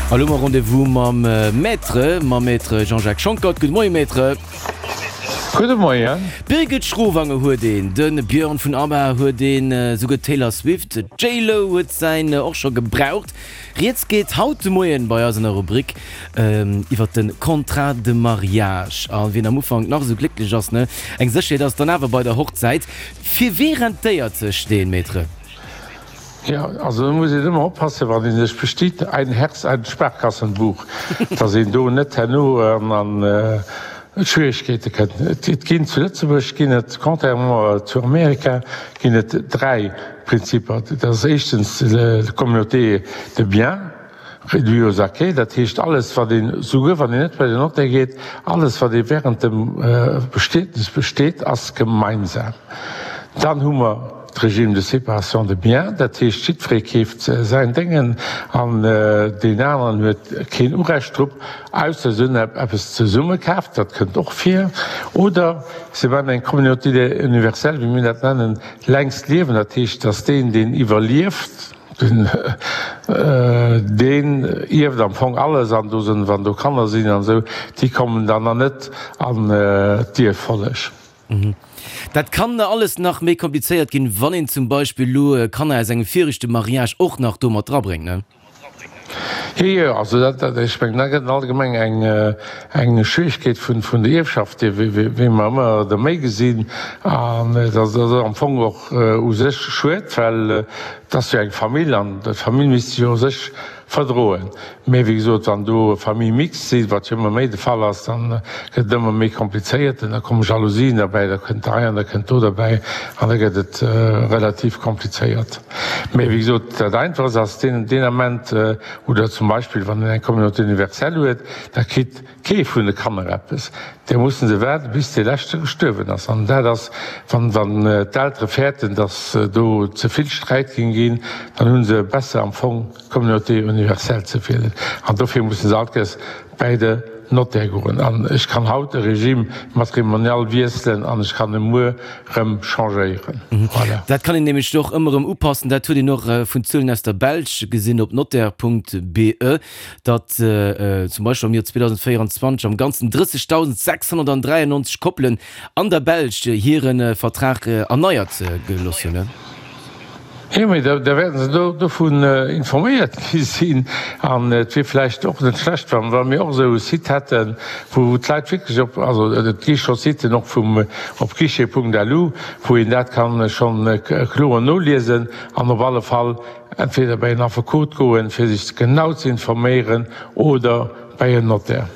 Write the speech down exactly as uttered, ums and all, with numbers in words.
A lo hu mer Rendez-vous mam Maître, mam Maître Jean-Jacques Schonckert. Gudde Moien, Maître. Gudde Moien. D'Birgit Schrowange huet een, de Björn vun ABBA huet een, souguer d'Taylor Swift, d'J-Lo huet säin och scho gebraucht. Rieds geet haut de Moien bei eis an der Rubrik iwwert de Contrat de mariage. A wien am Ufank nach esou glécklech ass, ne, eng Sécherheet ass dann awer bei der Hochzäit. Fir wee rentéiert sech deen, Maître? Jo, also do muss een ëmmer oppassen, wann ee sech bestiet, ein Herz, ein Sparkassenbuch, dass een do net herno an Schwierigkeete kënnt. Et ginn zu Lëtzebuerg ginn et, contrairement zu Amerika, ginn et dräi Prinzipper. Dat ass éischtens d'Communauté de biens réduits aux acquêts, dat heescht alles wat een, souguer wann een net bei den Notaire geet, alles wat ee während dem Bestietnis besteet, ass gemeinsam. Dann hu mer d'Régime de séparation de biens, dat heescht jiddweree keeft säin Déngen an deen aneren huet keen Urecht drop, ausser se hunn eppes zesumme kaaft, dat kënnt och vir, oder se maachen eng Communauté universelle, wéi mir dat nennen, längst Liewen, dat heescht, datt deen, deen iwwerlieft, deen ierft am Fong alles an do sinn, wann do Kanner sinn an esou, déi kommen dann nach net an d'Ierffolleg. Dat kann alles nach méi komplizéiert ginn, wann een zum Beispill elo Kanner aus engem viregte Mariage och nach do mat drabréngt, ne? Jo, jo, also dat, dat, ech mengen, da gëtt et allgemeng eng, eng Schwierigkeet vun, vun der Ierfschaft, déi, wéi, wéi mer ëmmer der méi gesinn. An dat ass am Fong och u sech schued, well et ass jo eng Famill an d'Famill misst sech jo u sech Verdroen. Mee wéi gesot, wann do Famille mixte sinn, wat jo ëmmer méi de Fall ass, dann gëtt et ëmmer méi komplizéiert an da komme Jalousien derbäi, da kënnt hei an da kënnt do derbäi an da gëtt et relativ komplizéiert. Mee wéi gesot, dat Einfachst ass deen deen Ament, oder zum Beispill wann een eng Communauté universelle huet, da kritt kee vun de Kanner eppes. Da musse se waarden, bis dee leschte gestuerwen ass. An dat ass, wann wann d'Eltere fäerten, datt do ze vill Sträit géing ginn, dann hu se besser am Fong d'Communauté universelle ze wielen. An dofir musse se alt Kéiers bäi de Notaire goen. An ech kann haut e Régime matrimonial wiesselen an ech kann e muer rëm changéieren. Voilà. Dat kann een nämlech och ëmmer erëm upassen. Dat huet een och vun Zuelen aus der Belsch gesinn op notaire Punkt be, datt zum Beispill am Joer zweedausendvéierundzwanzeg am Ganzen drëssegdausendsechshonnertdräiannonzeg Koppelen an der Belsch hire Vertrag erneiert gelooss hunn. Jo, mee da wäerten se do dovun informéiert gi sinn. An et wier vläicht och net schlecht, wa mir och esou e Site hätten, wou d'Leit wierklech op, also et gi scho Siten och vum, op guichet Punkt lu, wou een dat ka schonn kloer noliesen an op alle Fall entweder bei en Affekot goen, fir sech genau ze informéieren, oder bei en Notaire.